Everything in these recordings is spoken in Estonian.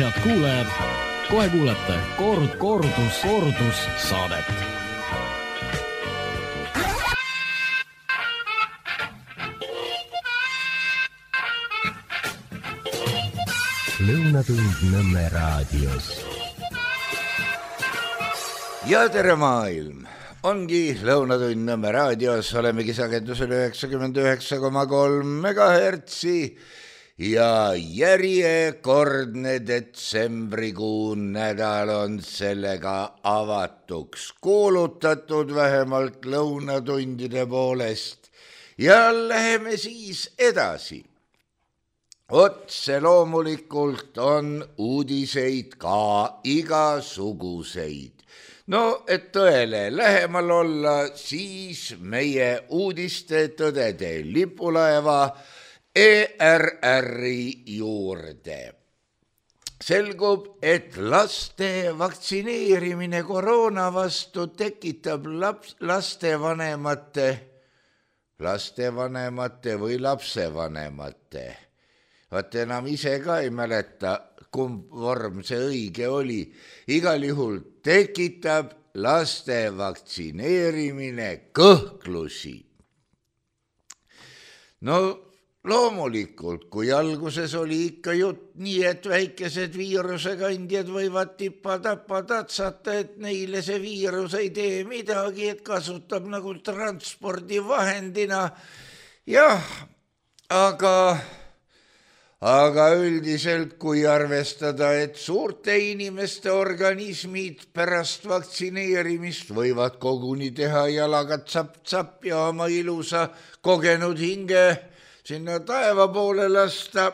Head kuulajad, kohe kuulete kordus saadet. Lõunatund Nõmme raadios. Ja tere maailm! Ongi Lõunatund Nõmme raadios, olemegi sagedusel 99,3 megahertsi ja järjekordne detsembrikuu nädal on sellega avatuks kuulutatud vähemalt lõunatundide poolest ja läheme siis edasi. Otse loomulikult on uudiseid ka igasuguseid. No, et tõele lähemal olla, siis meie uudiste tõdede lipulaeva ERR-i juurde. Selgub, et laste vaktsineerimine koroona vastu tekitab lastevanemate või lapsevanemate. Vaat enam ise ka ei mäleta, kumb vorm see õige oli. Igal juhul tekitab laste vaktsineerimine kõhklusi. No loomulikult, kui alguses oli ikka jutt nii, et väikesed viirusekandjad võivad tippa-tappa tatsata, et neile see viirus ei tee midagi, et kasutab nagu transpordivahendina. Jah, aga üldiselt, kui arvestada, et suurte inimeste organismid pärast vaktsineerimist võivad koguni teha jalaga tsapp-tsapp ja oma ilusa kogenud hinge sinna taeva poole lasta.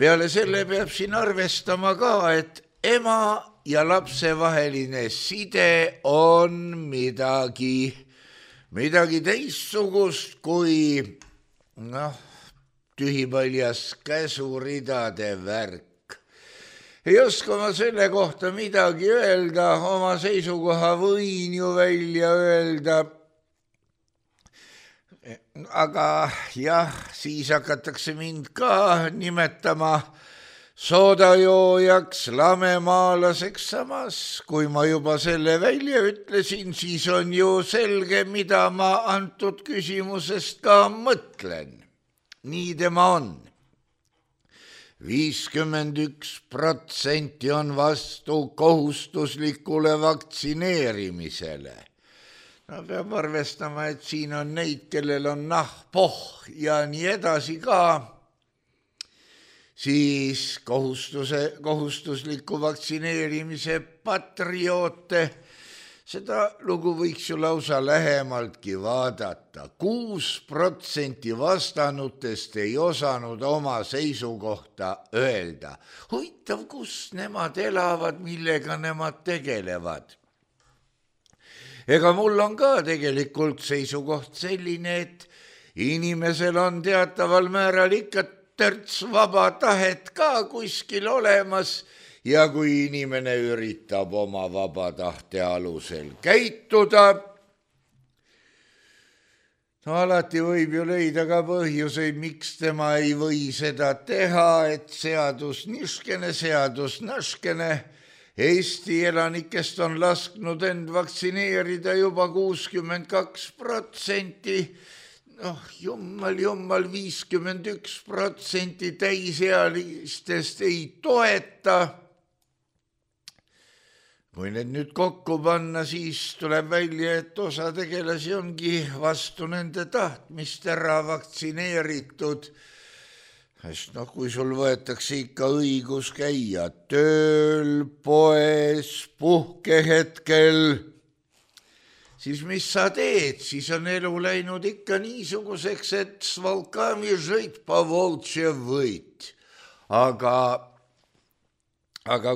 Peale selle peab siin arvestama ka, et ema ja lapse vaheline side on midagi teistsugust kui tühipaljas käsuridade värk. Ei oska ma selle kohta midagi öelda, oma seisukoha võin ju välja öelda. Aga jah, siis hakatakse mind ka nimetama soodajoojaks, lamemaalaseks, samas kui ma juba selle välja ütlesin, siis on ju selge, mida ma antud küsimusest ka mõtlen. Nii tema on. 51% on vastu kohustuslikule vaktsineerimisele. No peab arvestama, et siin on neid, kellel on pohh ja nii edasi ka. Siis kohustusliku vaktsineerimise patrioote. Seda lugu võiks ju lausa lähemaltki vaadata. 6% vastanutest ei osanud oma seisukohta öelda. Huvitav, kus nemad elavad, millega nemad tegelevad. Ega mul on ka tegelikult seisukoht selline, et inimesel on teataval määral ikka törts vaba tahet ka kuskil olemas. Ja kui inimene üritab oma vaba tahte alusel käituda, no alati võib ju leida ka põhjuseid, miks tema ei või seda teha, et seadus niškene, seadus naškene. Eesti elanikest on lasknud end vaktsineerida juba 62%. Jummal, 51% täisealistest ei toeta. Kui need nüüd kokku panna, siis tuleb välja, et osa tegelasi ongi vastu nende tahtmist ära vaktsineeritud. Sest kui sul võetakse ikka õigus käia tööl, poes, puhkehetkel, siis mis sa teed? Siis on elu läinud ikka niisuguseks, et s volkami žõit po voltše võit. Aga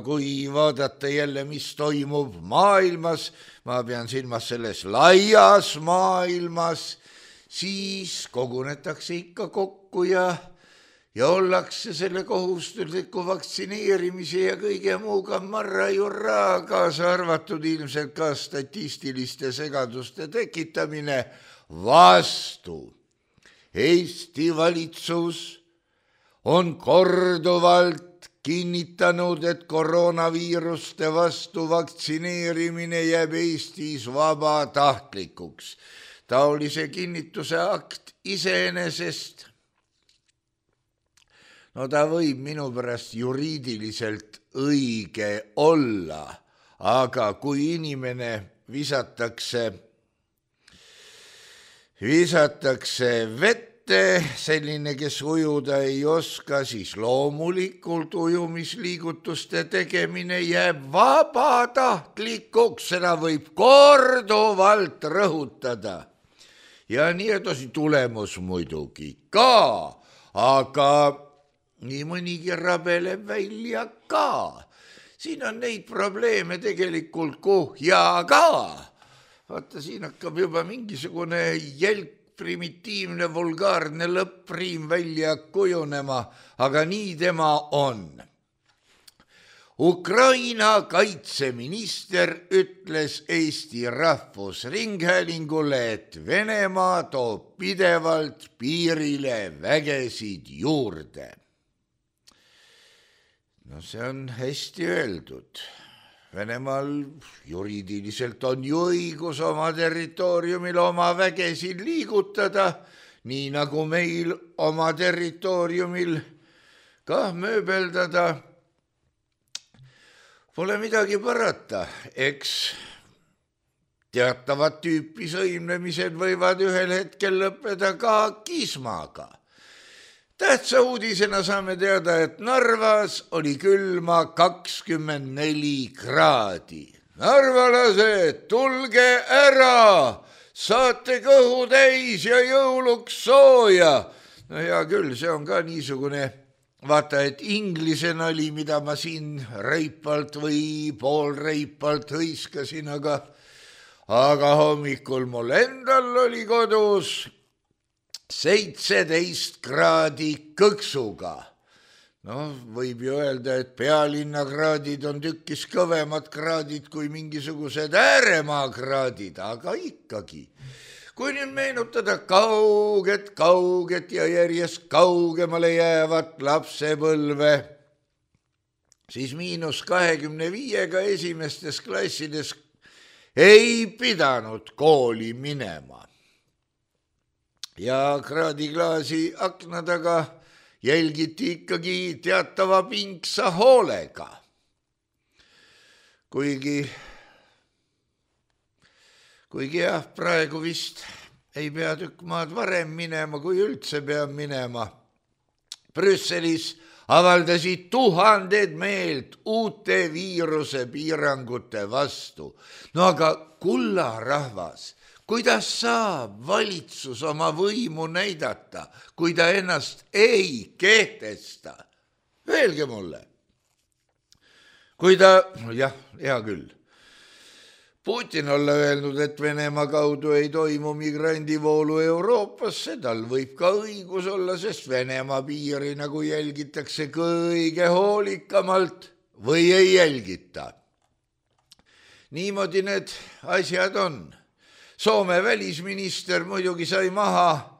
kui vaadata jälle, mis toimub maailmas, ma pean silmas selles laias maailmas, siis kogunetakse ikka kokku ja ollakse selle kohustusliku vaktsineerimise ja kõige muuga marra-jurra, kaasa arvatud ilmselt ka statistiliste segaduste tekitamine vastu. Eesti valitsus on korduvalt kinnitanud, et koroonaviiruste vastu vaktsineerimine jääb Eestis vabatahtlikuks. Taolise kinnituse akt iseenesest. No ta võib minu pärast juriidiliselt õige olla, aga kui inimene visatakse vette, selline, kes ujuda ei oska, siis loomulikult ujumisliigutuste tegemine jääb vabatahtlikuks, seda võib korduvalt rõhutada. Ja nii edasi, tulemus muidugi ka, aga nii mõnigi rabeleb välja ka. Siin on neid probleeme tegelikult kuhjaga. Vaata, siin hakkab juba mingisugune primitiivne, vulgaarne lõppriim välja kujunema, aga nii tema on. Ukraina kaitseminister ütles Eesti Rahvusringhäälingule, et Venemaa toob pidevalt piirile vägesid juurde. No see on hästi öeldud. Venemaal juriidiliselt on ju õigus oma territooriumil oma vägesid liigutada, nii nagu meil oma territooriumil ka mööbeldada. Pole midagi parata, eks teatavat tüüpi sõimlemised võivad ühel hetkel lõppeda ka kismaga. Tähtsa uudisena saame teada, et Narvas oli külma 24 kraadi. Narvalased, tulge ära, saate kõhu täis ja jõuluks sooja. No hea küll, see on ka niisugune, vaata, et inglise nali, mida ma siin reipalt või poolreipalt hõiskasin, aga hommikul mul endal oli kodus 17 kraadi kõksuga. No, võib ju öelda, et pealinna kraadid on tükkis kõvemad kraadid kui mingisugused ääremaa kraadid, aga ikkagi. Kui nüüd meenutada kauget ja järjest kaugemale jäävat lapsepõlve, siis -25 esimestes klassides ei pidanud kooli minema. Ja kraadiklaasi akna taga jälgiti ikkagi teatava pingsa hoolega. Kuigi jah, praegu vist ei pea tükk maad varem minema, kui üldse peab minema. Brüsselis avaldasid tuhanded meelt uute viiruse piirangute vastu. No aga kullarahvas, kuidas saab valitsus oma võimu näidata, kui ta ennast ei kehtesta? Öelge mulle. Kui ta, hea küll, Putin olla öelnud, et Venemaa kaudu ei toimu migrandivoolu Euroopasse, tal võib ka õigus olla, sest Venemaa piiri nagu jälgitakse kõige hoolikamalt või ei jälgita. Niimoodi need asjad on. Soome välisminister muidugi sai maha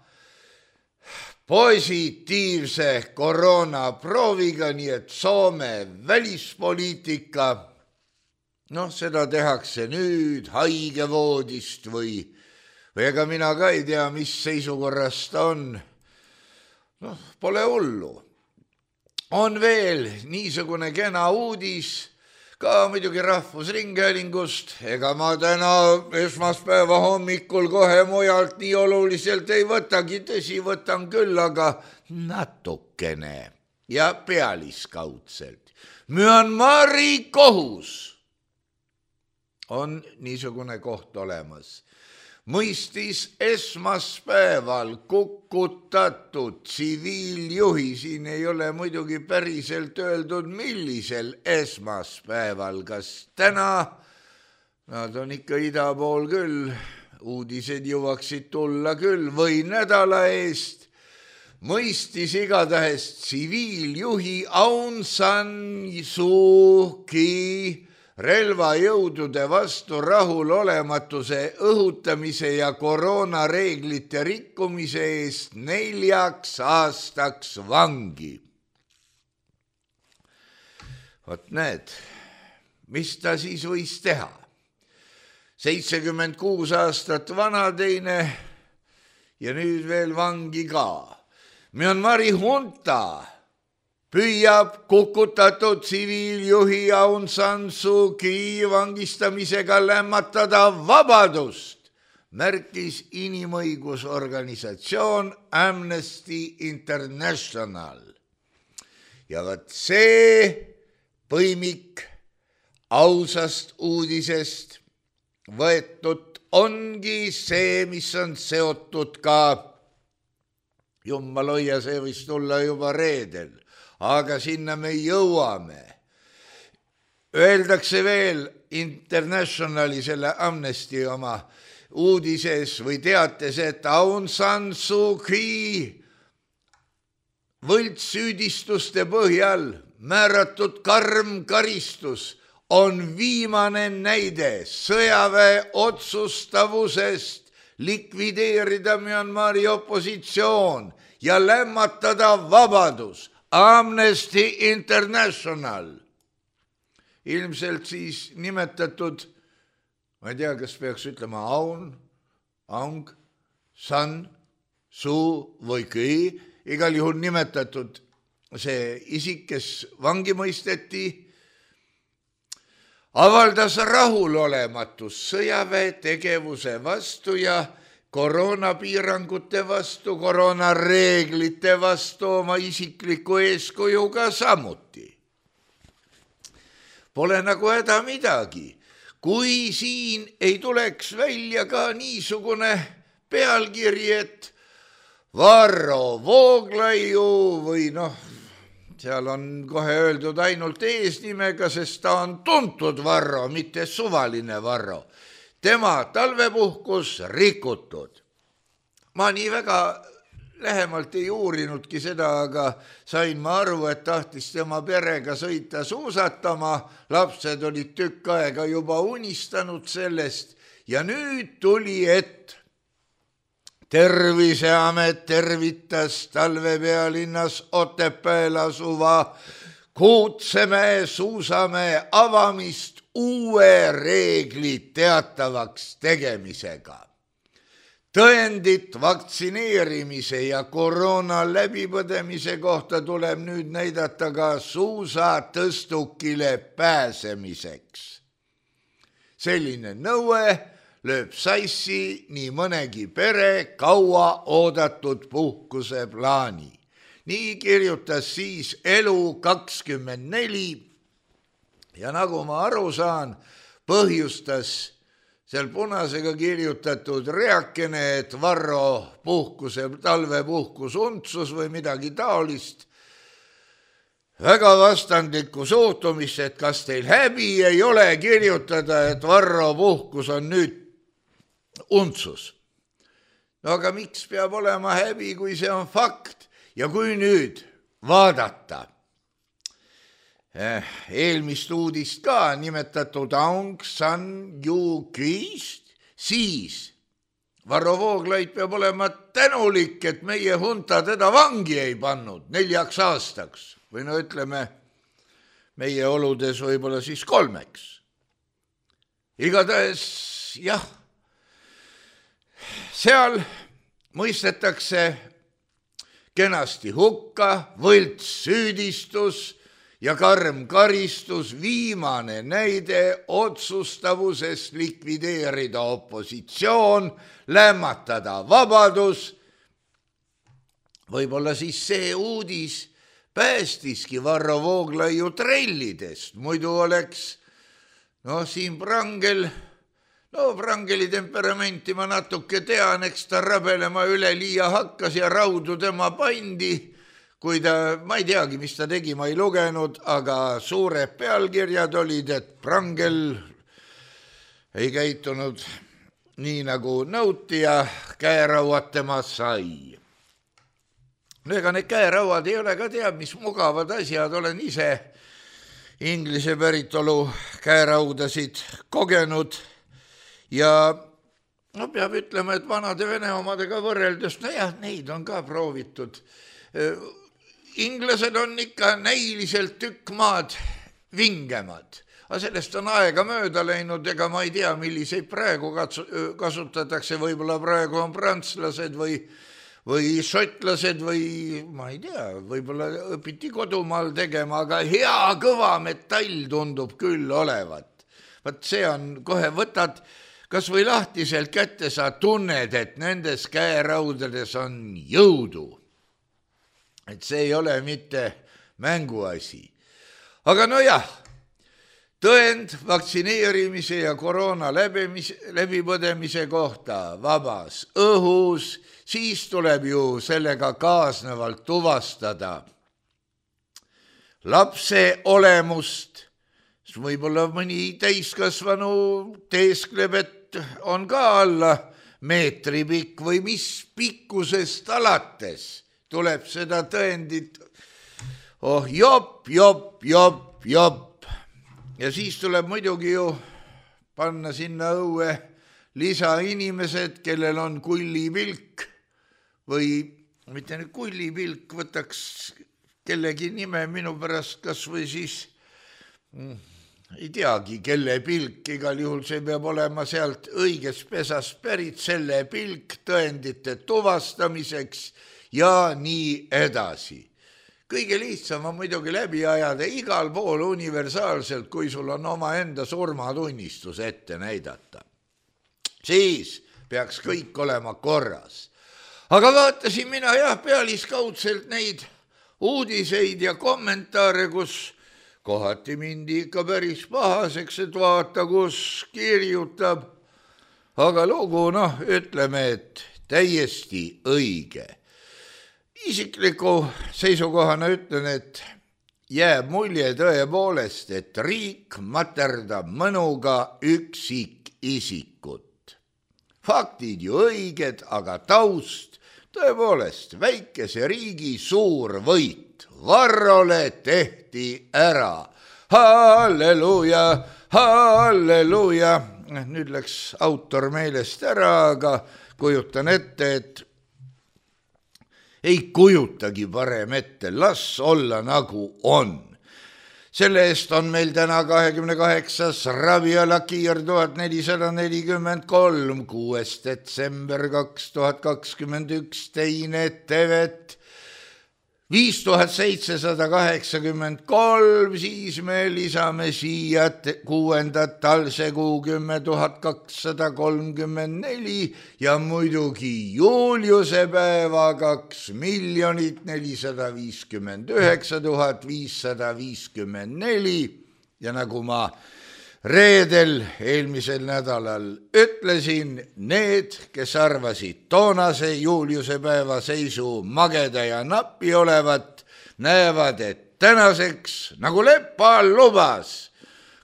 positiivse koroonaprooviga, nii et Soome välispoliitika, seda tehakse nüüd haigevoodist või ega mina ka ei tea, mis seisukorras ta on. Pole hullu. On veel niisugune kena uudis, ka muidugi Rahvusringhäälingust, ega ma täna esmaspäeva hommikul kohe mujalt nii oluliselt ei võtagi, tõsi võtan küll, aga natukene ja pealiskaudselt. Myanmari kohus on niisugune koht olemas. Mõistis esmaspäeval kukutatud tsiviiljuhi, siin ei ole muidugi päriselt öeldud, millisel esmaspäeval, kas täna, nad on ikka ida pool küll, uudised jõuaksid tulla küll, või nädala eest, mõistis igatahes tsiviiljuhi Aung San Suu Kyi relvajõudude vastu rahulolematuse õhutamise ja koroonareeglite rikkumise eest 4 aastaks vangi. Vot need, mis ta siis võis teha? 76 aastat vana teine ja nüüd veel vangi ka. Myanmari hunta püüab kukutatud tsiviiljuhi Aung San Suu Kyi vangistamisega lämmatada vabadust, märkis inimõigusorganisatsioon Amnesty International. Ja vot see põimik ausast uudisest võetud ongi see, mis on seotud ka, jumal hoia, see võis tulla juba reedel, aga sinna me jõuame. Öeldakse veel Internationali, selle Amnesty oma uudises või teates, et Aung San Suu Kyi võltssüüdistuste põhjal määratud karm karistus on viimane näide sõjaväe otsustavusest likvideerida Myanmari opositsioon ja lämmatada vabadus. Amnesty International. Ilmselt siis nimetatud, ma ei tea, kas peaks ütlema Aung San Suu või Kyi, igal juhul nimetatud see isik, kes vangi mõisteti, avaldas rahulolematust sõjaväe tegevuse vastu ja koroonapiirangute vastu, koroonareeglite vastu oma isikliku eeskujuga samuti. Pole nagu häda midagi, kui siin ei tuleks välja ka niisugune pealkiri, et Varro Vooglaiu või seal on kohe öeldud ainult eesnimega, sest ta on tuntud Varro, mitte suvaline Varro. Tema talvepuhkus rikutud. Ma nii väga lähemalt ei uurinudki seda, aga sain ma aru, et tahtis tema perega sõita suusatama. Lapsed olid tükk aega juba unistanud sellest ja nüüd tuli, et Terviseamet tervitas talvepealinnas Otepääl asuva Kuutsemäe suusamäe avamist uue reegli teatavaks tegemisega. Tõendit vaktsineerimise ja koroona läbipõdemise kohta tuleb nüüd näidata ka suusatõstukile pääsemiseks. Selline nõue lööb sassi nii mõnegi pere kaua oodatud puhkuse plaani. Nii kirjutas siis Elu24 ja nagu ma aru saan, põhjustas seal punasega kirjutatud reakene, et Varro talvepuhkus untsus või midagi taolist. Väga vastandlikku suhtumist, et kas teil häbi ei ole kirjutada, et Varro puhkus on nüüd untsus. No aga miks peab olema häbi, kui see on fakt? Ja kui nüüd vaadata eelmist uudist ka nimetatud Aung San Suu Kyist, siis Varro Vooglaid peab olema tänulik, et meie hunta teda vangi ei pannud 4 aastaks või ütleme meie oludes võib-olla siis 3. Igatahes jah, seal mõistetakse kenasti hukka võltssüüdistus ja karm karistus, viimane näide otsustavusest likvideerida opositsioon, lämmatada vabadus. Võib-olla siis see uudis päästiski Varro Vooglaiu trellidest, muidu oleks siin Prangeli temperamenti ma natuke tean, eks ta rabelema üleliia hakkas ja raudu tema pandi, kui ta, ma ei teagi, mis ta tegi, ma ei lugenud, aga suured pealkirjad olid, et Prangel ei käitunud nii nagu nõuti ja käerauad tema sai. Ega need käerauad ei ole ka teab, mis mugavad asjad, olen ise inglise päritolu käeraudasid kogenud ja peab ütlema, et vanade Vene omadega võrreldes, neid on ka proovitud. Inglased on ikka näiliselt tükk maad vingemad. Aga sellest on aega mööda läinud, ega ma ei tea, milliseid praegu kasutatakse, võib-olla praegu on prantslased või šotlased või ma ei tea, võib-olla õpiti kodumaal tegema, aga hea kõva metall tundub küll olevat. Vaat see on, kohe võtad kas või lahtiselt kätte, sa tunned, et nendes käeraudades on jõudu. Et see ei ole mitte mänguasi. Aga no jah, tõend vaktsineerimise ja koroona läbipõdemise kohta vabas õhus, siis tuleb ju sellega kaasnevalt tuvastada lapse olemust. Võib-olla mõni täiskasvanu teeskleb, et on ka alla meetri pikk või mis pikkusest alates tuleb seda tõendit. Oh, jopp. Ja siis tuleb muidugi ju panna sinna õue lisainimesed, kellel on kullipilk või mitte nüüd kullipilk, võtaks kellegi nime minu pärast kas või siis ei teagi, kelle pilk, igal juhul see peab olema sealt õigest pesast pärit, selle pilk tõendite tuvastamiseks ja nii edasi. Kõige lihtsam on muidugi läbi ajada igal pool universaalselt, kui sul on oma enda surmatunnistus ette näidata. Siis peaks kõik olema korras. Aga vaatasin mina pealiskaudselt neid uudiseid ja kommentaare, kus kohati mindi ikka päris pahaseks, et vaata, kus kirjutab. Aga lugu, ütleme, et täiesti õige. Isikliku seisukohana ütlen, et jääb mulje tõepoolest, et riik materdab mõnuga üksikisikut. Faktid ju õiged, aga taust tõepoolest väikese riigi suur võit. Varrole tehti ära. Halleluuja, halleluuja. Nüüd läks autor meelest ära, aga kujutan ette, et ei kujutagi parem ette, las olla nagu on. Selle eest on meil täna 28. Rabiala Kiir 1443, 6. detsember 2021, teine tevet 5783, siis me lisame siia 6. talsekuu 10,234 ja muidugi Juliuse päeva 2,459,554 ja nagu ma reedel eelmisel nädalal ütlesin, need, kes arvasid toonase Juliuse päeva seisu mageda ja napi olevat, näevad, et tänaseks, nagu Lepa lubas,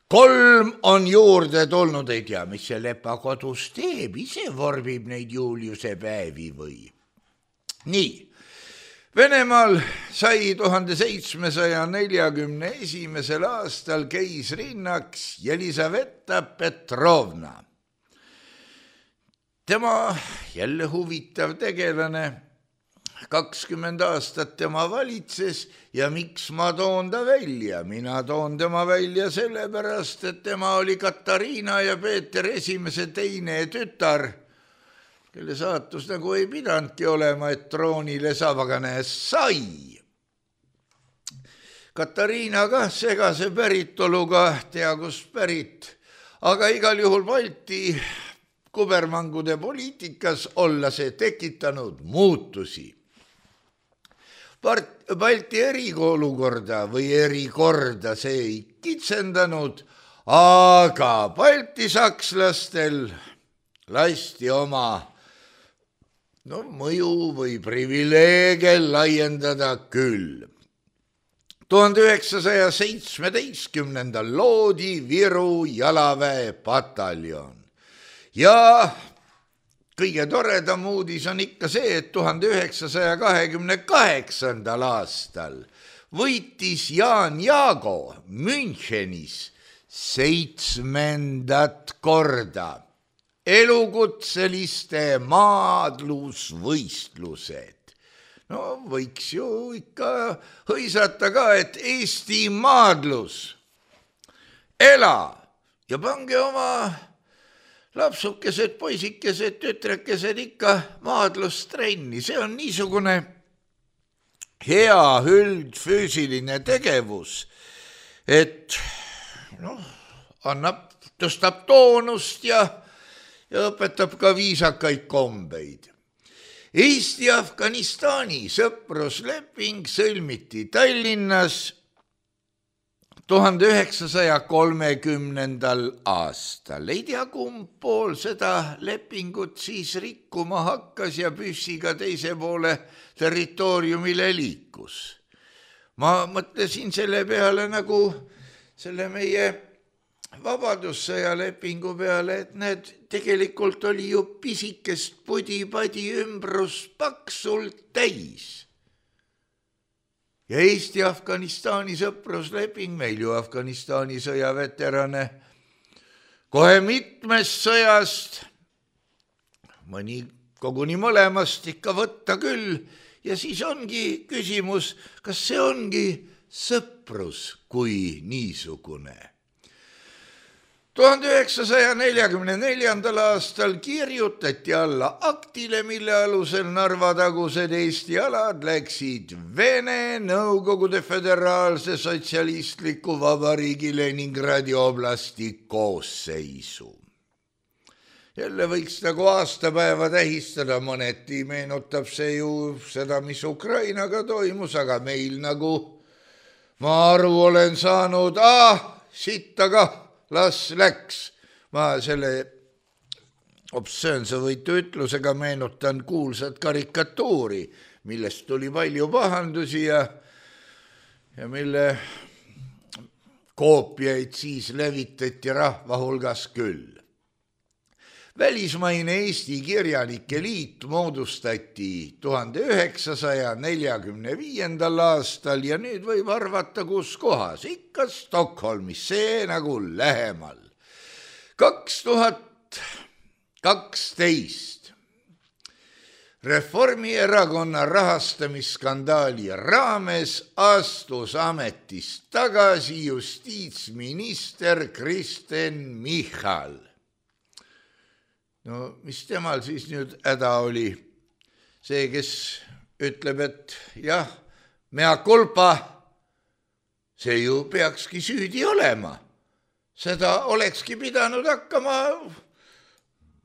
3 on juurde tulnud, ei tea, mis see Lepa kodus teeb, ise vorbib neid Juliuse päevi või. Nii. Venemaal sai 1741. aastal keisrinnaks Jelisaveta Petrovna. Tema jälle huvitav tegelane, 20 aastat tema valitses ja miks ma toon ta välja? Mina toon tema välja sellepärast, et tema oli Katariina ja Peeter esimese teine tütar, kelle saatus nagu ei pidanudki olema, et troonile saab, aga sai. Katariina ka segase päritoluga, tea kus pärit, aga igal juhul Balti kubermangude poliitikas olla see tekitanud muutusi. Balti eriolukorda või erikorda see ei kitsendanud, aga Balti sakslastel lasti oma mõju või privileege laiendada küll. 1917. loodi Viru jalaväe pataljon ja kõige toredam uudis on ikka see, et 1928. aastal võitis Jaan Jaago Münchenis 7. korda elukutseliste maadlusvõistlused. Võiks ju ikka hõisata ka, et Eesti maadlus ela ja pange oma lapsukesed, poisikesed, tütrekesed ikka maadlustrenni. See on niisugune hea üldfüüsiline tegevus, et tõstab toonust ja õpetab ka viisakaid kombeid. Eesti-Afganistani sõprusleping sõlmiti Tallinnas 1930. aastal. Ei tea, kumb pool seda lepingut siis rikkuma hakkas ja püssiga teise poole territooriumile liikus. Ma mõtlesin selle peale nagu selle meie vabadussõja lepingu peale, et need tegelikult oli ju pisikest pudi-padi ümbrus paksult täis. Ja Eesti-Afganistani sõprusleping, meil ju Afganistani sõjaveterane kohe mitmest sõjast, mõni koguni mõlemast ikka võtta küll, ja siis ongi küsimus, kas see ongi sõprus kui niisugune. 1944. aastal kirjutati alla aktile, mille alusel Narva tagused Eesti alad läksid Vene Nõukogude Föderaalse Sotsialistliku Vabariigi Leningradi oblasti koosseisu. Jälle võiks nagu aastapäeva tähistada, mõneti meenutab see ju seda, mis Ukrainaga toimus, aga meil nagu ma aru olen saanud, sittaga las läks. Ma selle obsöönse võitu ütlusega meenutan kuulsat karikatuuri, millest tuli palju pahandusi ja mille koopiaid siis levitati rahva hulgas küll. Välismaine Eesti Kirjanike Liit moodustati 1945. aastal ja nüüd võib arvata, kus kohas, ikka Stockholmis, see nagu lähemal. 2012 Reformierakonna rahastamisskandaali raames astus ametist tagasi justiitsminister Kristen Michal. No mis temal siis nüüd häda oli? See, kes ütleb, et jah, mea culpa, see ju peakski süüdi olema. Seda olekski pidanud hakkama,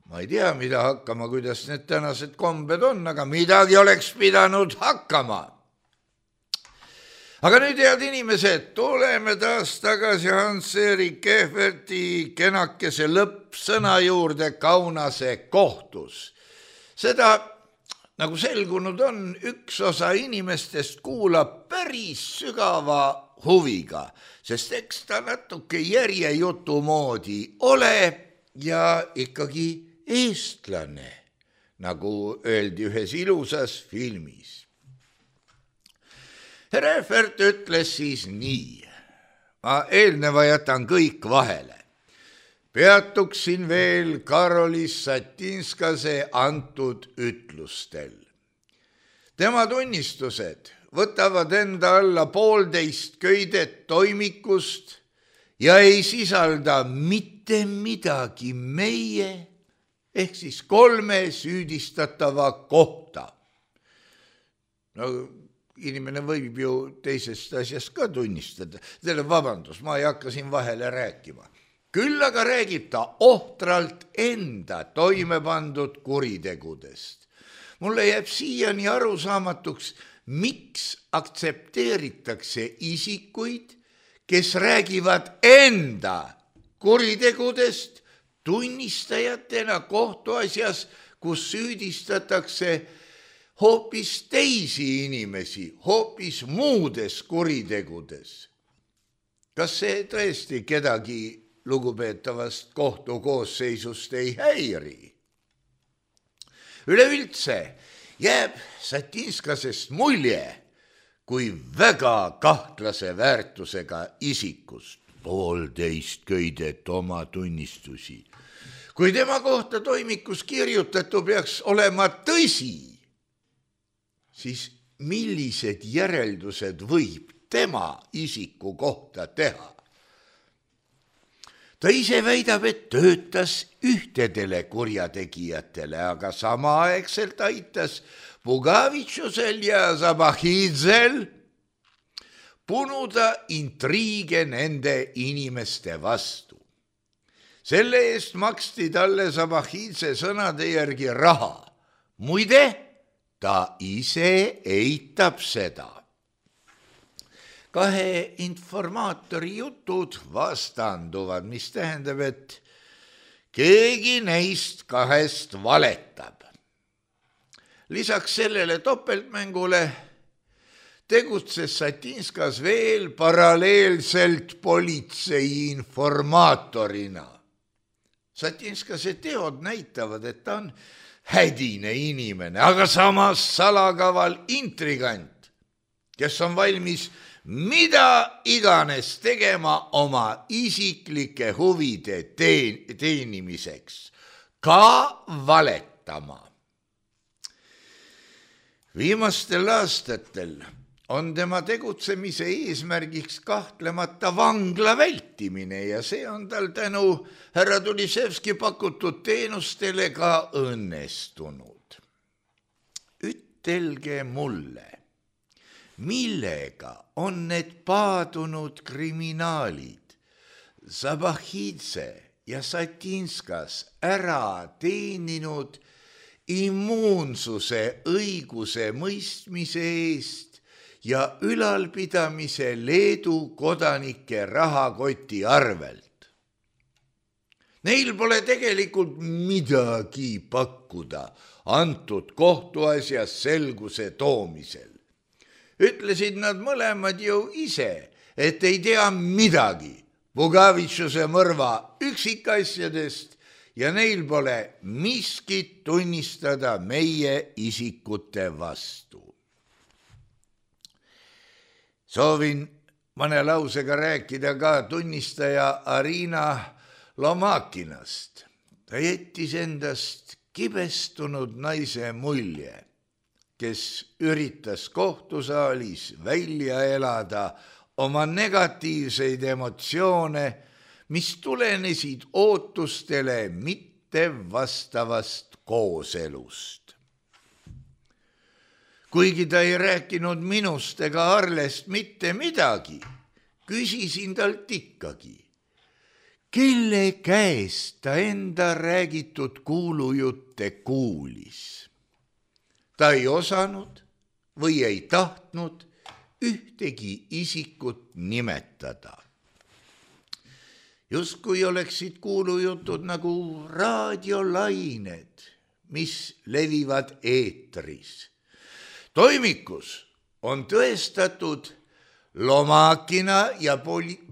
ma ei tea, mida hakkama, kuidas need tänased kombed on, aga midagi oleks pidanud hakkama. Aga nüüd, head inimesed, tuleme taas tagasi Hans-Erik Ehverti kenakese lõppsõna juurde Kaunase kohtus. Seda, nagu selgunud on, üks osa inimestest kuulab päris sügava huviga, sest eks ta natuke järjejutu moodi ole ja ikkagi eestlane, nagu öeldi ühes ilusas filmis. Herr Ehvert ütles siis nii, ma eelneva jätan kõik vahele. Peatuksin veel Karolis Satinskase antud ütlustel. Tema tunnistused võtavad enda alla 1,5 köidet toimikust ja ei sisalda mitte midagi meie ehk siis 3 süüdistatava kohta. No, inimene võib ju teisest asjast ka tunnistada. Vabandust, ma ei hakka siin vahele rääkima. Küll aga räägib ta ohtralt enda toime pandud kuritegudest. Mulle jääb siiani arusaamatuks, miks aktsepteeritakse isikuid, kes räägivad enda kuritegudest tunnistajatena kohtuasjas, kus süüdistatakse hoopis teisi inimesi, hoopis muudes kuritegudes. Kas see tõesti kedagi lugupeetavast kohtukoosseisust ei häiri? Üleüldse jääb Satinskasest mulje kui väga kahtlase väärtusega isikust. 1,5 köidet oma tunnistusi. Kui tema kohta toimikus kirjutatu peaks olema tõsi, siis millised järeldused võib tema isiku kohta teha? Ta ise väidab, et töötas ühtedele kurjategijatele, aga samaaegselt aitas Pugavitšusel ja Zabahidzel punuda intriige nende inimeste vastu. Selle eest maksti talle Zabahidze sõnade järgi raha. Muide, ta ise eitab seda. Kahe informaatori jutud vastanduvad, mis tähendab, et keegi neist kahest valetab. Lisaks sellele topeltmängule tegutses Satinskas veel paralleelselt politsei informaatorina. Satinskase teod näitavad, et ta on hädine inimene, aga samas salakaval intrigant, kes on valmis mida iganes tegema oma isiklike huvide teenimiseks, ka valetama. Viimastel aastatel on tema tegutsemise eesmärgiks kahtlemata vangla vältimine ja see on tal tänu härra Tulisevski pakutud teenustele ka õnnestunud. Ütelge mulle, millega on need paadunud kriminaalid Zabahidze ja Satinskas ära teeninud immuunsuse õiguse mõistmise eest ja ülalpidamise Leedu kodanike rahakoti arvelt. Neil pole tegelikult midagi pakkuda antud kohtuasjas selguse toomisel. Ütlesid nad mõlemad ju ise, et ei tea midagi Pugavitšuse mõrva üksikasjadest ja neil pole miskit tunnistada meie isikute vastu. Soovin mõne lausega rääkida ka tunnistaja Arina Lomakinast. Ta jättis endast kibestunud naise mulje, kes üritas kohtusaalis välja elada oma negatiivseid emotsioone, mis tulenesid ootustele mitte vastavast kooselust. Kuigi ta ei rääkinud minust ega Arlest mitte midagi, küsisin talt ikkagi, kelle käest ta enda räägitud kuulujutte kuulis. Ta ei osanud või ei tahtnud ühtegi isikut nimetada. Justkui oleksid kuulujutud nagu raadiolained, mis levivad eetris. Toimikus on tõestatud Lomakina ja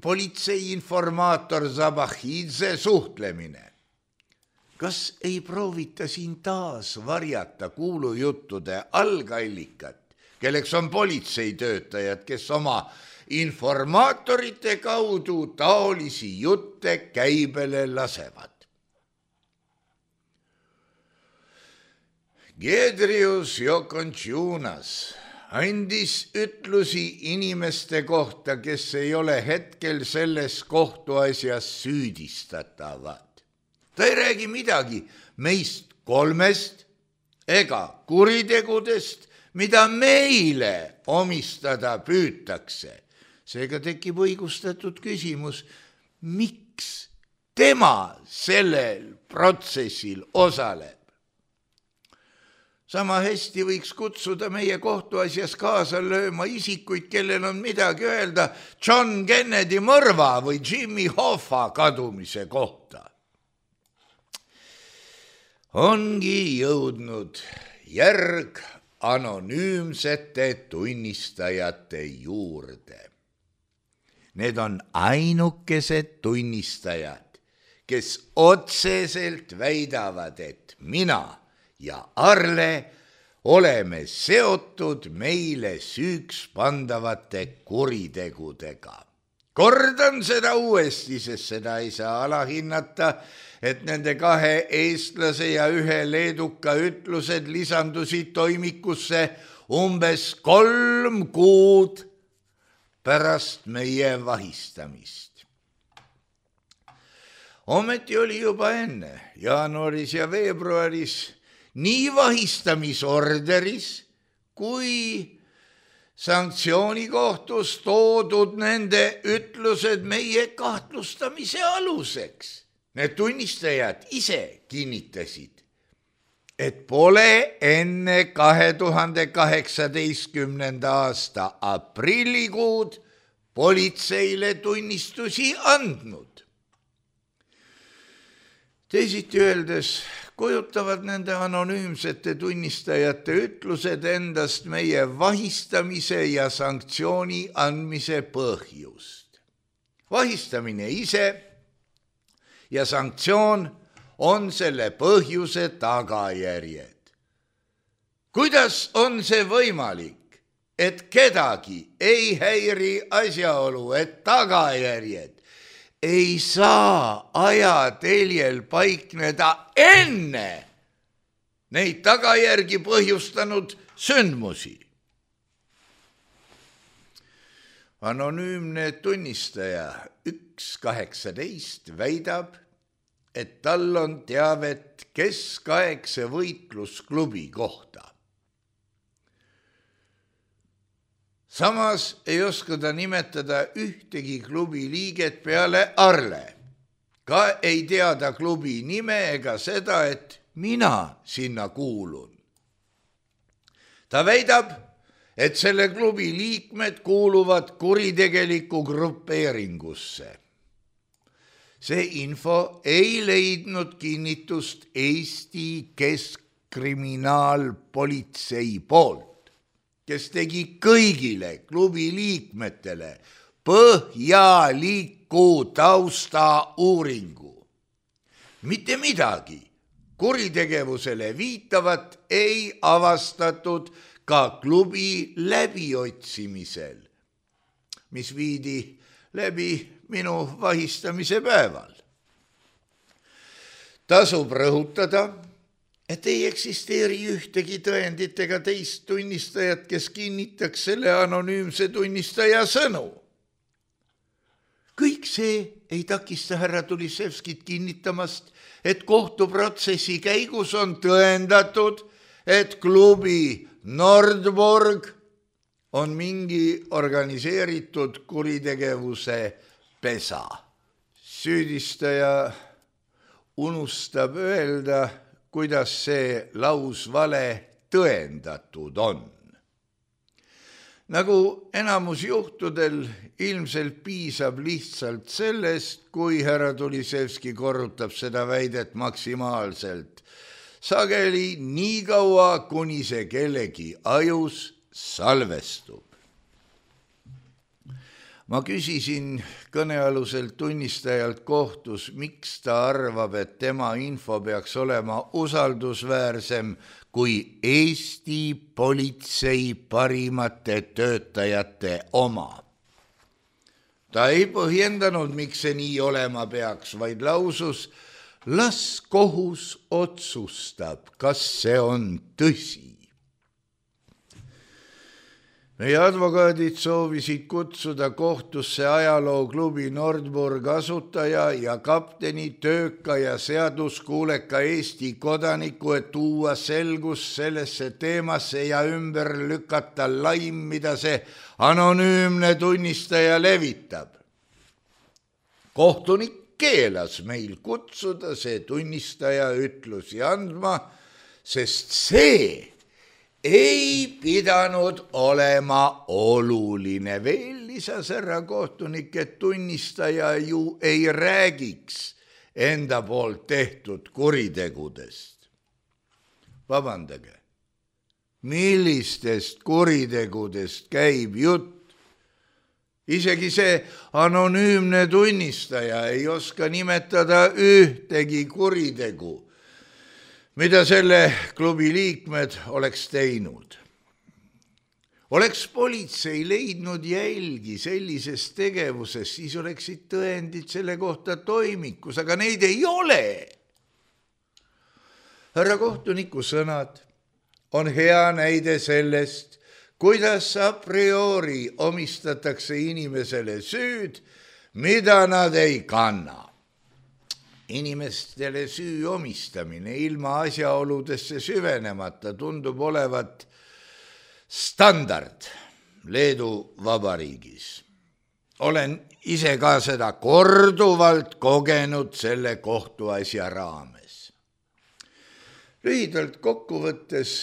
politsei informaator Zabahidze suhtlemine. Kas ei proovita siin taas varjata kuulujuttude algallikat, kelleks on politseitöötajad, kes oma informaatorite kaudu taolisi jutte käibele lasevad? Giedrius Jokontšunas andis ütlusi inimeste kohta, kes ei ole hetkel selles kohtuasjas süüdistatavad. Ta ei räägi midagi meist kolmest ega kuritegudest, mida meile omistada püütakse. Seega tekib õigustatud küsimus, miks tema sellel protsessil osaleb. Sama hästi võiks kutsuda meie kohtuasjas kaasa lööma isikuid, kellel on midagi öelda John Kennedy mõrva või Jimmy Hoffa kadumise kohta. Ongi jõudnud järg anonüümsete tunnistajate juurde. Need on ainukesed tunnistajad, kes otseselt väidavad, et mina ja Arle oleme seotud meile süüks pandavate kuritegudega. Kordan seda uuesti, sest seda ei saa alahinnata, et nende kahe eestlase ja ühe leeduka ütlused lisandusid toimikusse umbes 3 kuud pärast meie vahistamist. Ometi oli juba enne, jaanuaris ja veebruaris, nii vahistamisorderis kui sanktsioonikohtus toodud nende ütlused meie kahtlustamise aluseks. Need tunnistajad ise kinnitasid, et pole enne 2018. aasta aprillikuud politseile tunnistusi andnud. Teisiti öeldes kujutavad nende anonüümsete tunnistajate ütlused endast meie vahistamise ja sanktsiooni andmise põhjust. Vahistamine ise ja sanktsioon on selle põhjuse tagajärjed. Kuidas on see võimalik, et kedagi ei häiri asjaolu, et tagajärjed ei saa ajateljel paikneda enne neid tagajärgi põhjustanud sündmusi? Anonüümne tunnistaja 1.18 väidab, et tal on teavet keskaegse võitlusklubi kohta. Samas ei oska ta nimetada ühtegi klubi liiget peale Arle. Ka ei teada klubi nime ega seda, et mina sinna kuulun. Ta väidab, et selle klubi liikmed kuuluvad kuritegelikku grupeeringusse. See info ei leidnud kinnitust Eesti Keskkriminaalpolitsei poolt, kes tegi kõigile klubi liikmetele põhjaliku taustauuringu. Mitte midagi kuritegevusele viitavat ei avastatud ka klubi läbiotsimisel, mis viidi läbi minu vahistamise päeval. Tasub rõhutada, et ei eksisteeri ühtegi tõendit ega teist tunnistajat, kes kinnitaks selle anonüümse tunnistaja sõnu. Kõik see ei takista härra Tulisevskit kinnitamast, et kohtuprotsessi käigus on tõendatud, et klubi Nordburg on mingi organiseeritud kuritegevuse pesa. Süüdistaja unustab öelda, kuidas see lausvale tõendatud on. Nagu enamus juhtudel ilmselt piisab lihtsalt sellest, kui härra Tulisevski korrutab seda väidet maksimaalselt, sageli nii kaua, kuni see kellegi ajus salvestub. Ma küsisin kõnealuselt tunnistajalt kohtus, miks ta arvab, et tema info peaks olema usaldusväärsem kui Eesti politsei parimate töötajate oma. Ta ei põhjendanud, miks see nii olema peaks, vaid lausus, las kohus otsustab, kas see on tõsi. Meie advokaadid soovisid kutsuda kohtusse ajalooklubi Nordburg asutaja ja kapteni tööka ja seaduskuuleka Eesti kodaniku, et tuua selgus sellesse teemasse ja ümber lükata laim, mida see anonüümne tunnistaja levitab. Kohtunik keelas meil kutsuda see tunnistaja ütlusi andma, sest see ei pidanud olema oluline. Veel lisas härra kohtunik, et tunnistaja ju ei räägiks enda poolt tehtud kuritegudest. Vabandage, millistest kuritegudest käib jutt? Isegi see anonüümne tunnistaja ei oska nimetada ühtegi kuritegu, mida selle klubi liikmed oleks teinud. Oleks politsei leidnud jälgi sellises tegevuses, siis oleksid tõendid selle kohta toimikus, aga neid ei ole. Härra kohtuniku sõnad on hea näide sellest, kuidas a priori omistatakse inimesele süüd, mida nad ei kanna. inimestele süü omistamine ilma asjaoludesse süvenemata tundub olevat standard Leedu Vabariigis. Olen ise ka seda korduvalt kogenud selle kohtuasja raames. Lühidalt kokkuvõttes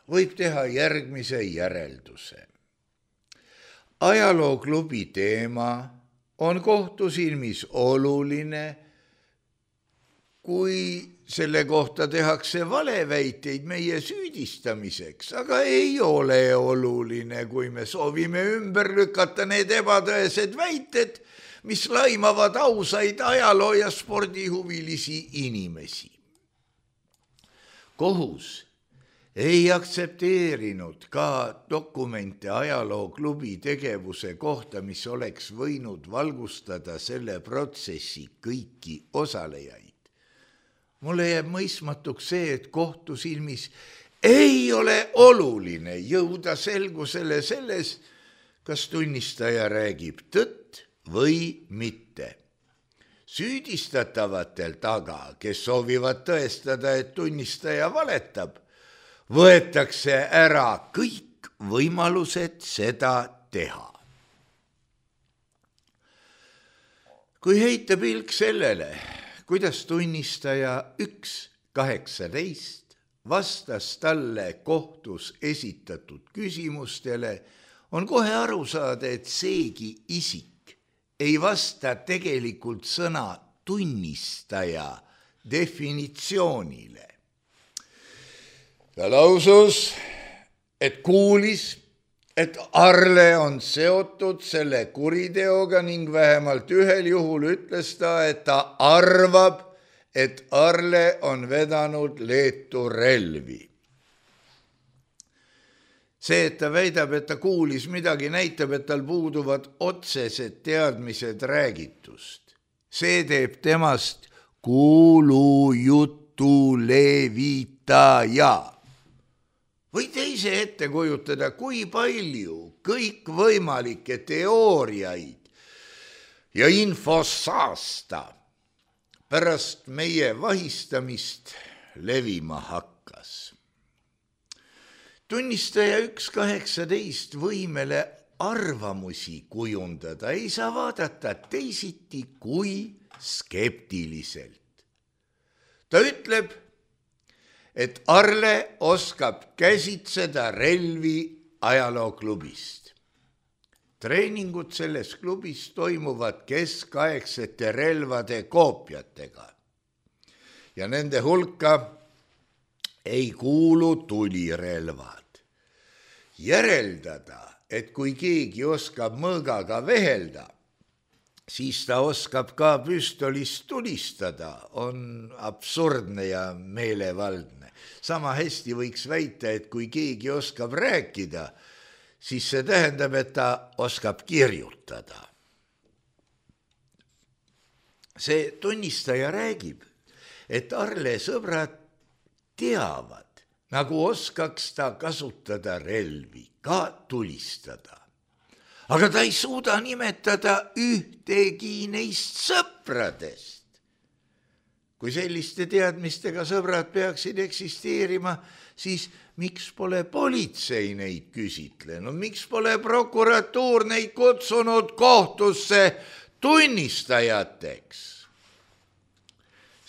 võib teha järgmise järelduse. Ajalooklubi teema on kohtu silmis oluline, kui selle kohta tehakse valeväiteid meie süüdistamiseks, aga ei ole oluline, kui me soovime ümber lükata need ebatõesed väited, mis laimavad ausaid ajaloo- ja spordihuvilisi inimesi. Kohus ei aktsepteerinud ka dokumente ajalooklubi tegevuse kohta, mis oleks võinud valgustada selle protsessi kõiki osalejaid. Mulle jääb mõistmatuks see, et kohtu silmis ei ole oluline jõuda selgusele selles, kas tunnistaja räägib tõtt või mitte. Süüdistatavatel aga, kes soovivad tõestada, et tunnistaja valetab, võetakse ära kõik võimalused seda teha. Kui heita pilk sellele, kuidas tunnistaja 1.18 vastas talle kohtus esitatud küsimustele, on kohe aru saada, et seegi isik ei vasta tegelikult sõna tunnistaja definitsioonile. Ta lausus, et kuulis, et Arle on seotud selle kuriteoga ning vähemalt ühel juhul ütles ta, et ta arvab, et Arle on vedanud Leetu relvi. See, et ta väidab, et ta kuulis midagi, näitab, et tal puuduvad otsesed teadmised räägitust. See teeb temast kuulujutu levitaja. Või teise ette kujutada, kui palju kõikvõimalikke teooriaid ja infosaasta pärast meie vahistamist levima hakkas. Tunnistaja 1.18 võimele arvamusi kujundada ei saa vaadata teisiti kui skeptiliselt. Ta ütleb, et Arle oskab käsitseda relvi ajalooklubist. Treeningud selles klubis toimuvad keskaegsete relvade koopiatega ja nende hulka ei kuulu tulirelvad. Järeldada, et kui keegi oskab mõõgaga vehelda, siis ta oskab ka püstolist tulistada, on absurdne ja meelevaldne. Sama hästi võiks väita, et kui keegi oskab rääkida, siis see tähendab, et ta oskab kirjutada. See tunnistaja räägib, et Arle sõbrad teavad, nagu oskaks ta kasutada relvi, ka tulistada. Aga ta ei suuda nimetada ühtegi neist sõpradest. Kui selliste teadmistega sõbrad peaksid eksisteerima, siis miks pole politsei neid küsitlenud, miks pole prokuratuur neid kutsunud kohtusse tunnistajateks?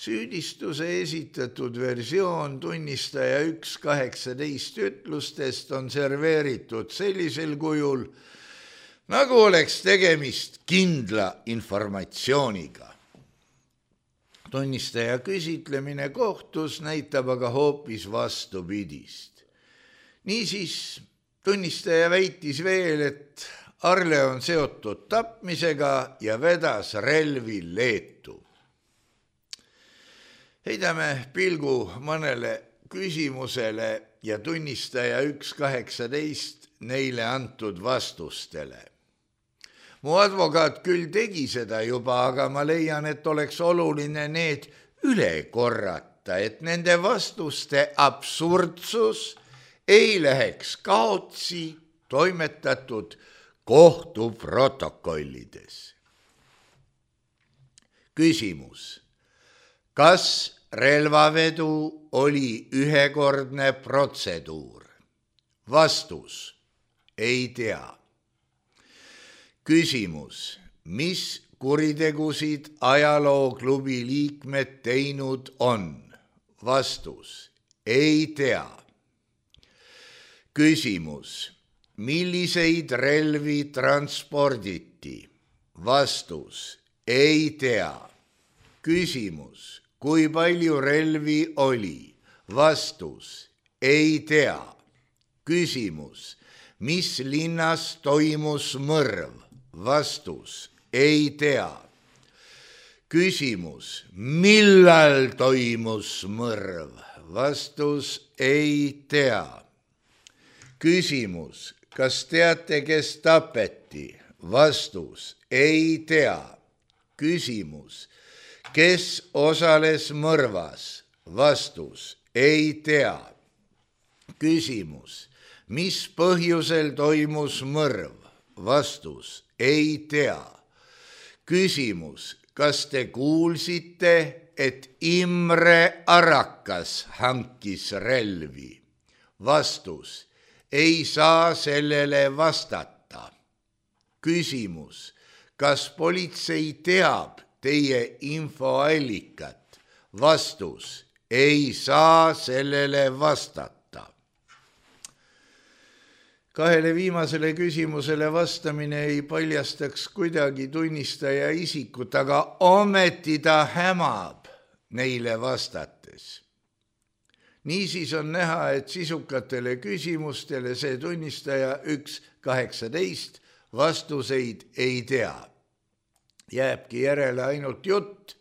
Süüdistuse esitatud versioon tunnistaja 1.18 ütlustest on serveeritud sellisel kujul, nagu oleks tegemist kindla informatsiooniga. Tunnistaja küsitlemine kohtus näitab aga hoopis vastupidist. Niisiis, tunnistaja väitis veel, et Arle on seotud tapmisega ja vedas relvi Leetu. Heidame pilgu mõnele küsimusele ja tunnistaja 1.18 neile antud vastustele. Mu advokaat küll tegi seda juba, aga ma leian, et oleks oluline need üle korrata, et nende vastuste absurdsus ei läheks kaotsi toimetatud kohtuprotokollides. Küsimus. Kas relvavedu oli ühekordne protseduur? Vastus: ei tea. Küsimus: mis kuritegusid ajalooklubi liikmed teinud on? Vastus: ei tea. Küsimus: milliseid relvi transporditi? Vastus: ei tea. Küsimus: kui palju relvi oli? Vastus: ei tea. Küsimus: mis linnas toimus mõrv? Vastus: ei tea. Küsimus: millal toimus mõrv? Vastus: ei tea. Küsimus: kas teate, kes tapeti? Vastus: ei tea. Küsimus: kes osales mõrvas? Vastus: ei tea. Küsimus: mis põhjusel toimus mõrv? Vastus: ei tea. Küsimus: kas te kuulsite, et Imre Arakas hankis relvi? Vastus: ei saa sellele vastata. Küsimus: kas politsei teab teie infoallikat? Vastus: ei saa sellele vastata. Kahele viimasele küsimusele vastamine ei paljastaks kuidagi tunnistaja isikut, aga ometi ta hämab neile vastates. Niisiis on näha, et sisukatele küsimustele see tunnistaja 1.18 vastuseid ei tea. Jääbki järele ainult jutt,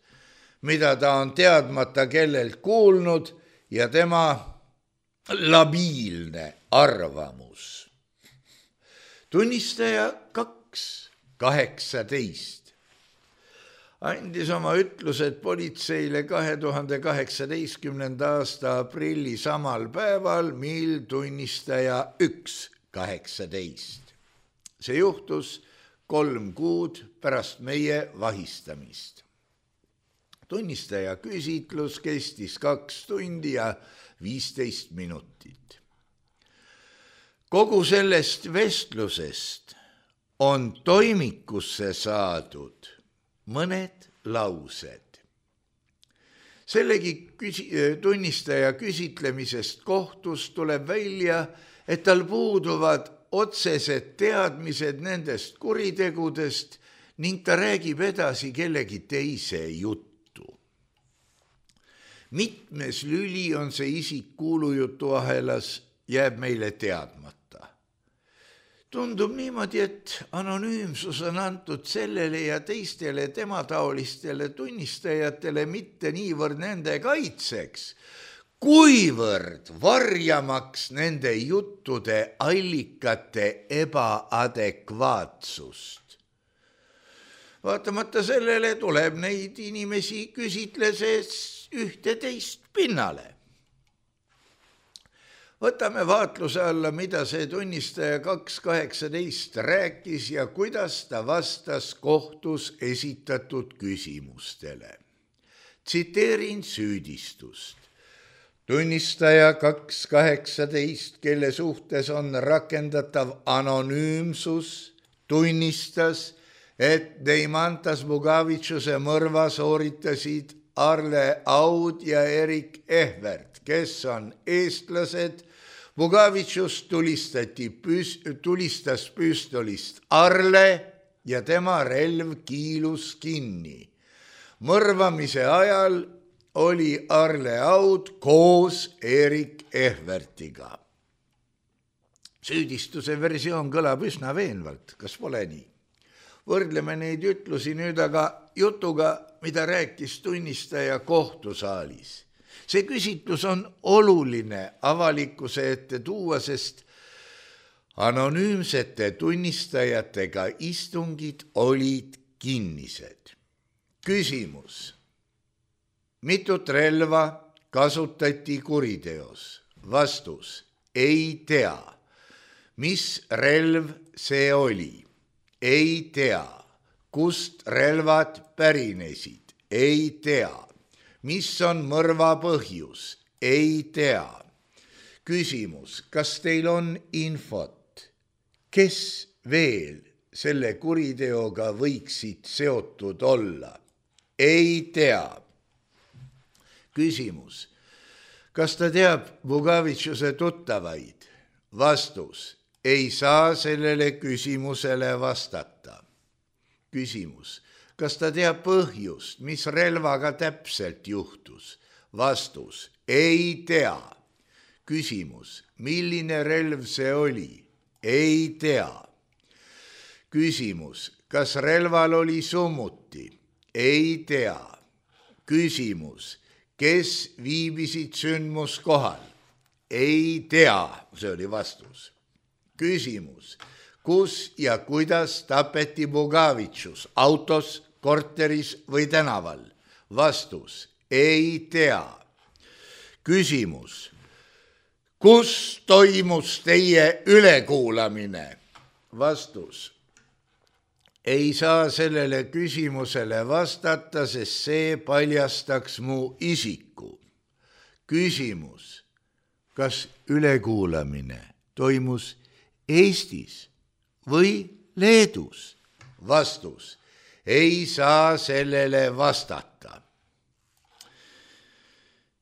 mida ta on teadmata kellelt kuulnud, ja tema labiilne arvamus. Tunnistaja 2.18 andis oma ütlused politseile 2018. aasta aprilli samal päeval, mil tunnistaja 1.18. See juhtus 3 kuud pärast meie vahistamist. Tunnistaja küsitlus kestis 2 tundi ja 15 minutit. Kogu sellest vestlusest on toimikusse saadud mõned laused. Sellegi tunnistaja küsitlemisest kohtus tuleb välja, et tal puuduvad otsesed teadmised nendest kuritegudest ning ta räägib edasi kellegi teise juttu. Mitmes lüli on see isik kuulujutuahelas, jääb meile teadmata. Tundub niimoodi, et anonüümsus on antud sellele ja teistele temataolistele tunnistajatele mitte niivõrd nende kaitseks, kuivõrd varjamaks nende juttude allikate ebaadekvaatsust. Vaatamata sellele tuleb neid inimesi küsitleses ühte-teist pinnale. Võtame vaatluse alla, mida see tunnistaja 2.18 rääkis ja kuidas ta vastas kohtus esitatud küsimustele. Tsiteerin süüdistust. Tunnistaja 2.18, kelle suhtes on rakendatav anonüümsus, tunnistas, et Deimantas Bugavitšuse mõrva sooritasid Arle Aud ja Erik Ehvert, kes on eestlased. Bugavitšus tulistas püstolist Arle ja tema relv kiilus kinni. Mõrvamise ajal oli Arle Aud koos Erik Ehvertiga. Süüdistuse versioon kõlab üsna veenvalt, kas pole nii? Võrdleme neid ütlusi nüüd aga jutuga, mida rääkis tunnistaja kohtusaalis. See küsitlus on oluline avalikkuse ette tuua, sest anonüümsete tunnistajatega istungid olid kinnised. Küsimus. Mitut relva kasutati kuriteos? Vastus. Ei tea. Mis relv see oli? Ei tea. Kust relvad pärinesid? Ei tea. mis on mõrva põhjus? Ei tea. Küsimus, kas teil on infot, kes veel selle kuriteoga võiksid seotud olla? Ei tea. Küsimus, kas ta teab Bugavitšuse tuttavaid? Vastus, ei saa sellele küsimusele vastata. Küsimus, kas ta teab põhjust, mis relvaga täpselt juhtus? Vastus, ei tea. Küsimus, milline relv see oli? Ei tea. Küsimus, kas relval oli summuti? Ei tea. Küsimus, kes viibisid sündmuskohal? Ei tea, see oli vastus. Küsimus, kus ja kuidas tapeti Bugavitšus? Autos, korteris või tänaval? Vastus, ei tea. Küsimus, kus toimus teie ülekuulamine? Vastus, ei saa sellele küsimusele vastata, sest see paljastaks mu isiku. Küsimus, kas ülekuulamine toimus Eestis või Leedus? Vastus, ei saa sellele vastata.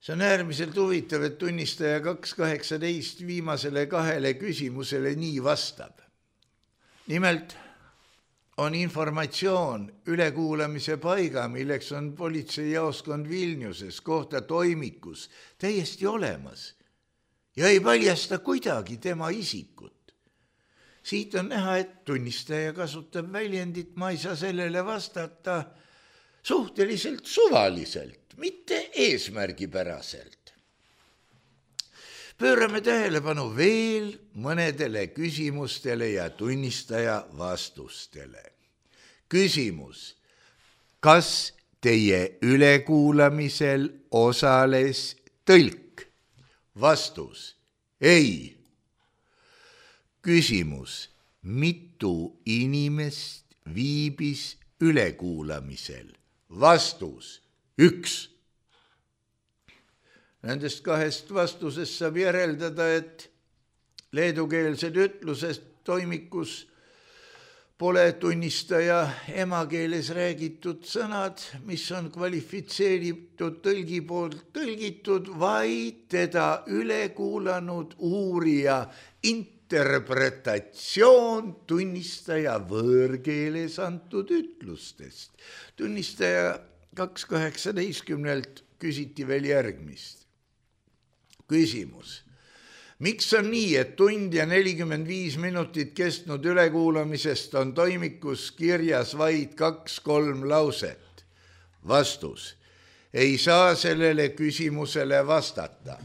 See on äärmiselt huvitav, et tunnistaja 2.18 viimasele 2 küsimusele nii vastab. Nimelt on informatsioon ülekuulamise paiga, milleks on politseijaoskond Vilniuses kohta toimikus, täiesti olemas ja ei paljasta kuidagi tema isikut. Siit on näha, et tunnistaja kasutab väljendit, ma ei saa sellele vastata suhteliselt suvaliselt, mitte eesmärgipäraselt. Pöörame tähelepanu veel mõnedele küsimustele ja tunnistaja vastustele. Küsimus, kas teie ülekuulamisel osales tõlk? Vastus, ei. Küsimus, mitu inimest viibis ülekuulamisel? Vastus, 1. Nendest 2 vastusest saab järeldada, et leedukeelsed ütlused toimikus pole tunnistaja emakeeles räägitud sõnad, mis on kvalifitseeritud tõlgi poolt tõlgitud, vaid teda ülekuulanud uurija interpretatsioon tunnistaja võõrkeeles antud ütlustest. Tunnistaja 2.18 küsiti veel järgmist. Küsimus. Miks on nii, et tund ja 45 minutit kestnud ülekuulamisest on toimikus kirjas vaid 2-3 lauset? Vastus. Ei saa sellele küsimusele vastata.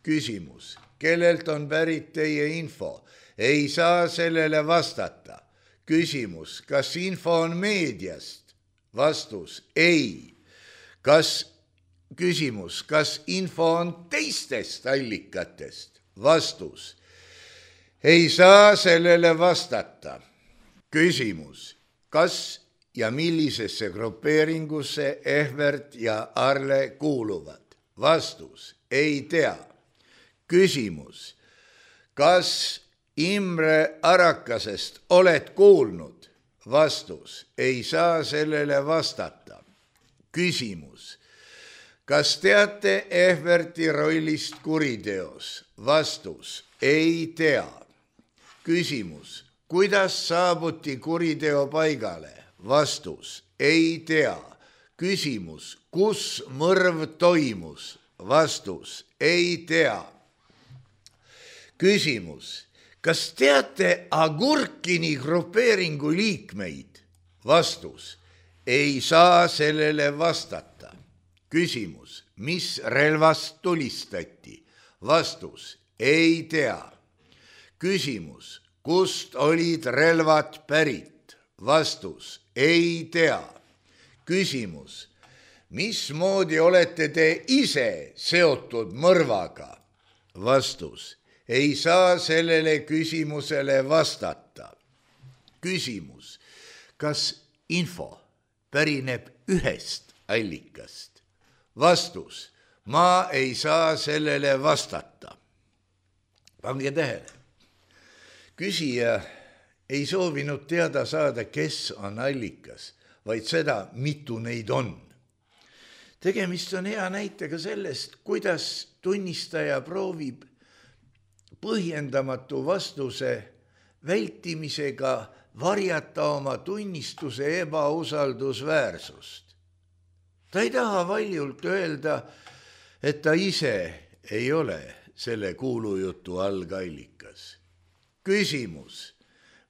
Küsimus. Kellelt on pärit teie info? Ei saa sellele vastata. Küsimus. Kas info on meediast? Vastus. Ei. Küsimus. Kas info on teistest allikatest? Vastus. Ei saa sellele vastata. Küsimus. Kas ja millisesse grupeeringusse Ehvert ja Arle kuuluvad? Vastus. Ei tea. Küsimus. Kas Imre Arakasest oled kuulnud? Vastus. Ei saa sellele vastata. Küsimus. Kas teate Ehverti rollist kuriteos? Vastus. Ei tea. Küsimus. Kuidas saabuti kuriteo paigale? Vastus. Ei tea. Küsimus. Kus mõrv toimus? Vastus. Ei tea. Küsimus. Kas teate Agurkini grupeeringu liikmeid? Vastus. Ei saa sellele vastata. Küsimus. Mis relvast tulistati? Vastus. Ei tea. Küsimus. Kust olid relvad pärit? Vastus. Ei tea. Küsimus. Mismoodi olete te ise seotud mõrvaga? Vastus. Ei saa sellele küsimusele vastata. Küsimus. Kas info pärineb ühest allikast? vastus. Ma ei saa sellele vastata. Pange tähele. Küsija ei soovinud teada saada, kes on allikas, vaid seda, mitu neid on. Tegemist on hea näitega sellest, kuidas tunnistaja proovib põhjendamatu vastuse vältimisega varjata oma tunnistuse ebausaldusväärsust. Ta ei taha valjult öelda, et ta ise ei ole selle kuulujutu algallikas. Küsimus.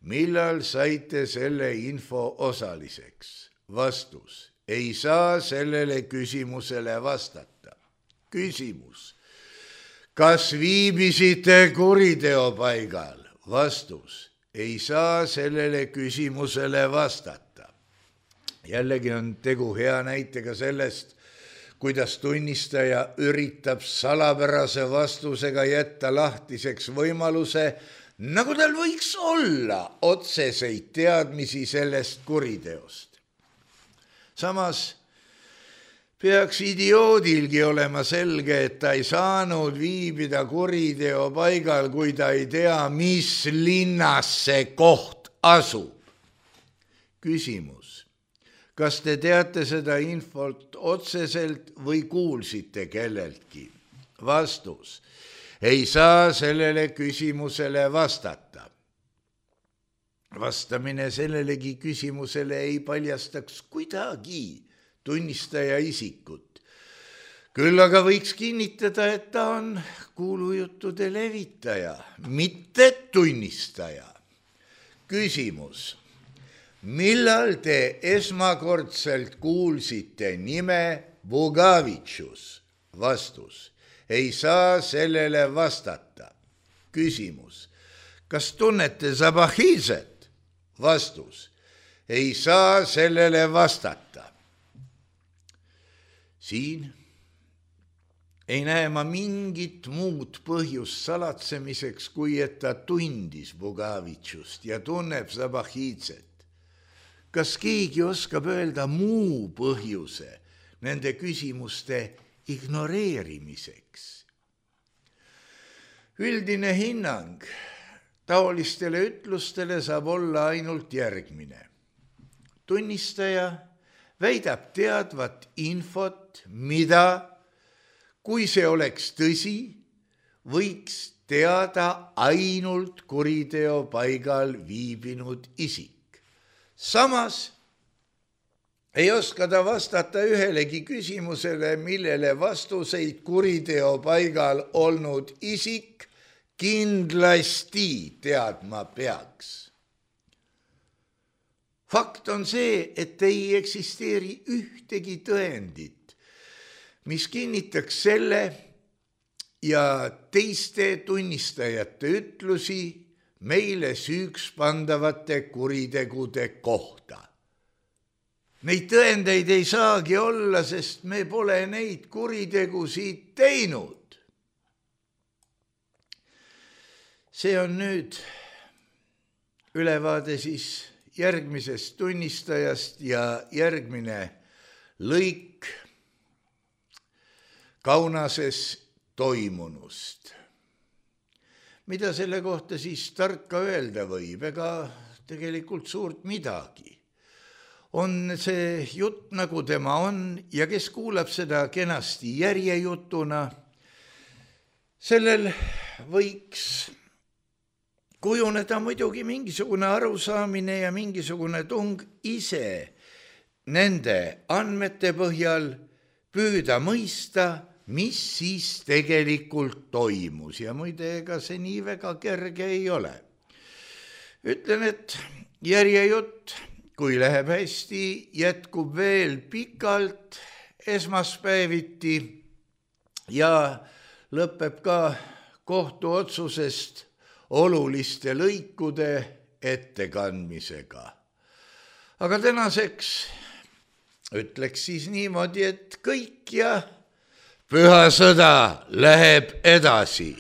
Millal saite selle info osaliseks? Vastus. Ei saa sellele küsimusele vastata. Küsimus. Kas viibisite kuriteopaigal? Vastus. Ei saa sellele küsimusele vastata. Jällegi on tegu hea näitega sellest, kuidas tunnistaja üritab salapärase vastusega jätta lahtiseks võimaluse, nagu tal võiks olla otseseid teadmisi sellest kuriteost. Samas peaks idioodilgi olema selge, et ta ei saanud viibida kuriteo paigal, kui ta ei tea, mis linnas see koht asub. Küsimus. Kas te teate seda infot otseselt või kuulsite kelleltki? Vastus. Ei saa sellele küsimusele vastata. Vastamine sellelegi küsimusele ei paljastaks kuidagi tunnistaja isikut. Küll aga võiks kinnitada, et ta on kuulujuttude levitaja, mitte tunnistaja. Küsimus. Millal te esmakordselt kuulsite nime Bugavitšus? Vastus. Ei saa sellele vastata. Küsimus. Kas tunnete Zabahizet? Vastus. Ei saa sellele vastata. Siin ei näe ma mingit muud põhjust salatsemiseks, kui et ta tundis Bugavitšust ja tunneb Zabahizet. Kas keegi oskab öelda muu põhjuse nende küsimuste ignoreerimiseks? Üldine hinnang taolistele ütlustele saab olla ainult järgmine. Tunnistaja väidab teadvat infot, mida, kui see oleks tõsi, võiks teada ainult kuriteo paigal viibinud isik. Samas ei oska ta vastata ühelegi küsimusele, millele vastuseid kuriteo paigal olnud isik kindlasti teadma peaks. Fakt on see, et ei eksisteeri ühtegi tõendit, mis kinnitaks selle ja teiste tunnistajate ütlusi meile süüks pandavate kuritegude kohta. Neid tõendeid ei saagi olla, sest me pole neid kuritegusid teinud. See on nüüd ülevaade siis järgmisest tunnistajast ja järgmine lõik Kaunases toimunust. Mida selle kohta siis tarka öelda võib? Ega tegelikult suurt midagi. On see jutt, nagu tema on, ja kes kuulab seda kenasti järjejutuna, sellel võiks kujuneda muidugi mingisugune arusaamine ja mingisugune tung ise nende andmete põhjal püüda mõista, mis siis tegelikult toimus ja muide, ega see nii väga kerge ei ole. Ütlen, et järjejutt, kui läheb hästi, jätkub veel pikalt esmaspäeviti ja lõpeb ka kohtuotsusest oluliste lõikude ettekandmisega. Aga tänaseks ütleks siis niimoodi, et kõik ja püha sõda läheb edasi.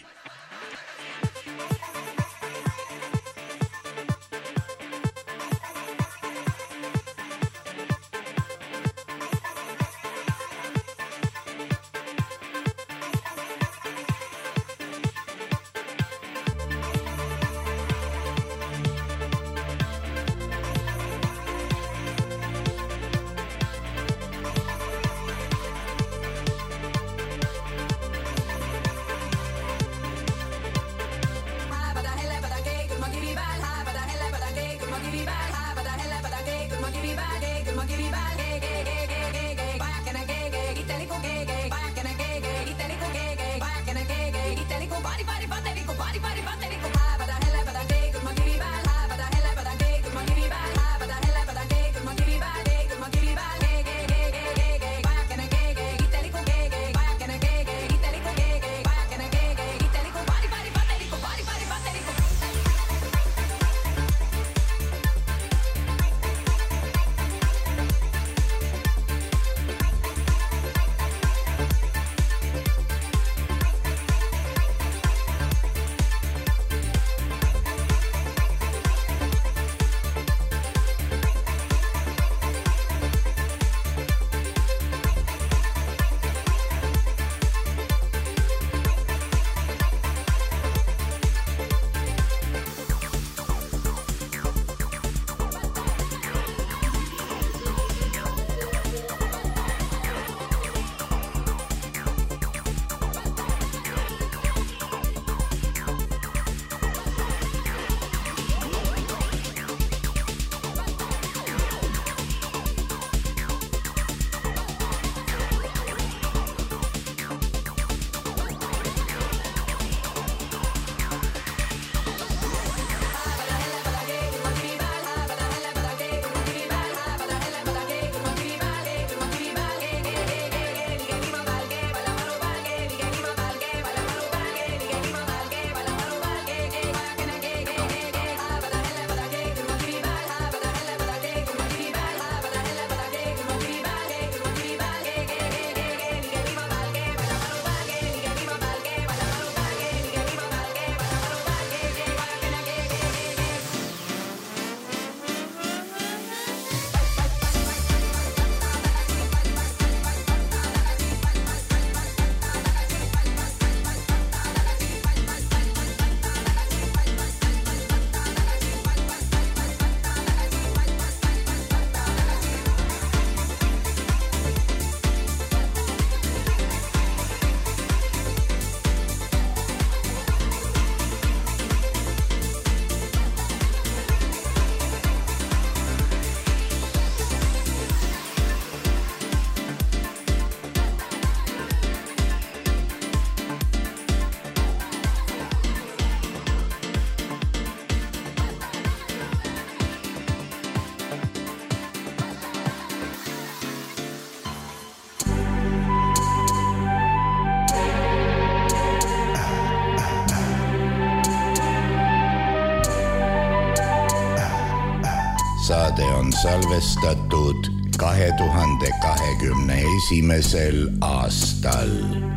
saade on salvestatud 2021. aastal.